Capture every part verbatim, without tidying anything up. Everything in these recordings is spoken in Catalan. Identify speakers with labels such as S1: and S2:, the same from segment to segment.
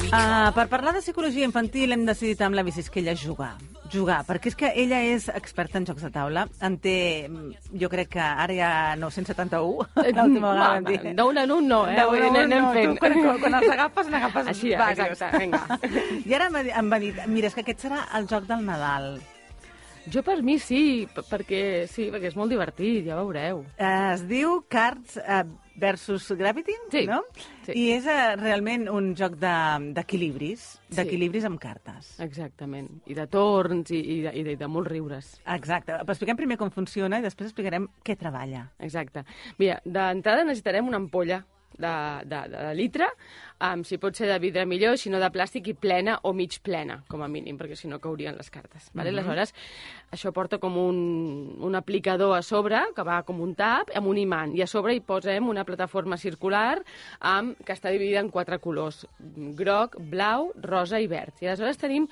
S1: Uh, per parlar de psicologia infantil hem decidit amb la Vicisquella jugar. Jugar, perquè és que ella és experta en jocs de taula. En té, jo crec que ara hi ha nou-cents setanta-un. L'última vegada vam dir.
S2: D'un en un no, eh?
S1: D'un en un
S2: anem
S1: no,
S2: fent.
S1: tu quan, quan els agafes n'agafes
S2: Així,
S1: diversos.
S2: exacte, vinga.
S1: I ara em va, dir, em va dir, mira, és que aquest serà el joc del Nadal.
S2: Jo per mi sí, perquè sí, perquè és molt divertit, ja veureu.
S1: Uh, es diu Cards uh, versus Gravity,
S2: sí,
S1: no?
S2: Sí.
S1: I és uh, realment un joc d'equilibris, de, d'equilibris sí. amb cartes.
S2: Exactament. I de torns i, i, de, i de, de molts riures.
S1: Exacte. Però expliquem primer com funciona i després explicarem què treballa.
S2: Exacte. Mira, d'entrada necessitarem una ampolla de, de, de, de litre, um, si pot ser de vidre millor, si no de plàstic, i plena o mig plena, com a mínim, perquè si no caurien les cartes. Vale? Mm-hmm. Aleshores, això porta com un, un aplicador a sobre, que va com un tap, amb un imant, i a sobre hi posem una plataforma circular amb, que està dividida en quatre colors, groc, blau, rosa i verd. I aleshores tenim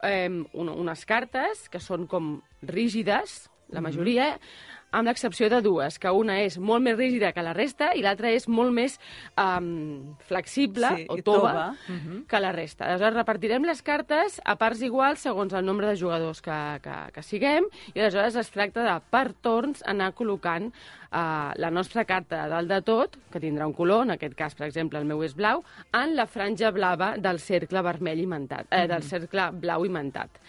S2: eh, un, unes cartes que són com rígides, la majoria, mm-hmm. amb l'excepció de dues, que una és molt més rígida que la resta i l'altra és molt més um, flexible, sí, o tova, tova. Uh-huh. que la resta. Aleshores, repartirem les cartes a parts iguals segons el nombre de jugadors que, que, que siguem, i aleshores es tracta de, per torns, anar col·locant uh, la nostra carta de dalt de tot, que tindrà un color, en aquest cas, per exemple, el meu és blau, en la franja blava del cercle vermell imantat, eh, del cercle blau imantat.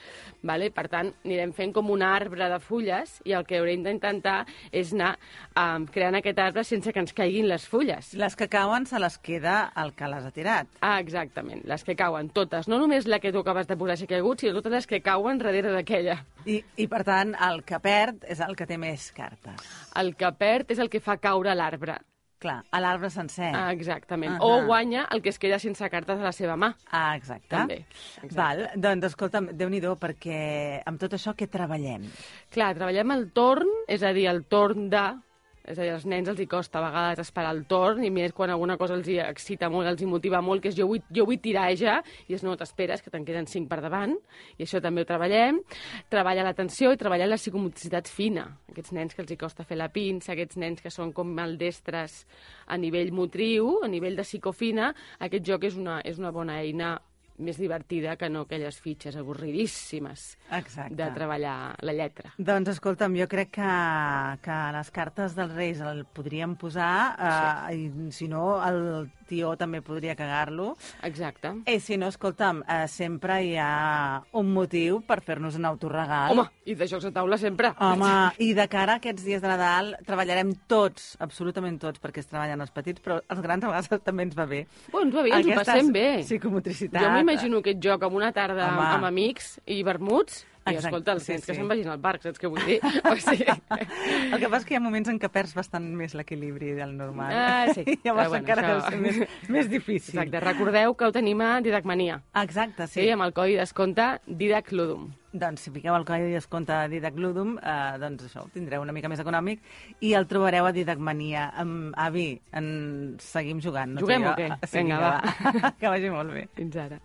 S2: Vale? Per tant, anirem fent com un arbre de fulles i el que haurem d'intentar és anar um, creant aquest arbre sense que ens caiguin les fulles.
S1: Les que cauen se les queda el que les ha tirat.
S2: Ah, exactament, les que cauen, totes. No només la que tu acabes de posar si ha caigut, sinó totes les que cauen darrere d'aquella.
S1: I, I, per tant, el que perd és el que té més cartes.
S2: El que perd és el que fa caure l'arbre.
S1: Clar, a l'arbre sencer.
S2: Ah, exactament.
S1: Uh-huh.
S2: O guanya el que es queda sense cartes a la seva mà.
S1: Ah, exacte.
S2: També. Exacte.
S1: Val, doncs escolta'm, Déu-n'hi-do, perquè amb tot això què treballem?
S2: Clar, treballem el torn, és a dir, el torn de... És a dir, als nens els hi costa a vegades esperar el torn, i més quan alguna cosa els hi excita molt, els hi motiva molt, que és jo vull, jo vull tirar ja, i és no, t'esperes, que te'n queden cinc per davant, i això també ho treballem. Treballa l'atenció i treballa la psicomotricitat fina. Aquests nens que els hi costa fer la pinça, aquests nens que són com maldestres a nivell motriu, a nivell de psicofina, aquest joc és una, és una bona eina més divertida que no aquelles fitxes avorridíssimes.
S1: Exacte.
S2: De treballar la lletra.
S1: Doncs escolta'm, jo crec que, que les cartes dels Reis el podríem posar, eh, sí. i si no, el tió també podria cagar-lo.
S2: Exacte.
S1: I si no, escolta'm, eh, sempre hi ha un motiu per fer-nos un autoregal.
S2: Home, i de jocs de taula sempre.
S1: Home, i de cara a aquests dies de Nadal treballarem tots, absolutament tots, perquè es treballen els petits, però els grans a vegades també ens va bé.
S2: Bueno, ens va bé, ens ho passem bé.
S1: Psicomotricitat.
S2: Jo m'imagino aquest joc amb una tarda amb, amb amics i vermuts, i
S1: exacte,
S2: escolta, els nens
S1: sí,
S2: que
S1: sí.
S2: se'n vagin al parc, saps què vull dir? O sigui...
S1: El que passa és que hi ha moments en què perds bastant més l'equilibri del normal.
S2: Ah, sí.
S1: Llavors
S2: bueno,
S1: encara
S2: això...
S1: deu ser més, més difícil.
S2: Exacte, recordeu que ho tenim a Didacmania.
S1: Exacte, sí.
S2: Sí, amb el codi descompte Didac Ludum.
S1: Doncs si fiqueu el codi de descompte Didac Ludum, eh, doncs això, ho tindreu una mica més econòmic i el trobareu a Didacmania. Um, avi, en... seguim jugant. No
S2: Juguem o què?
S1: Sí,
S2: vinga, va.
S1: va. Que vagi molt bé.
S2: Fins ara.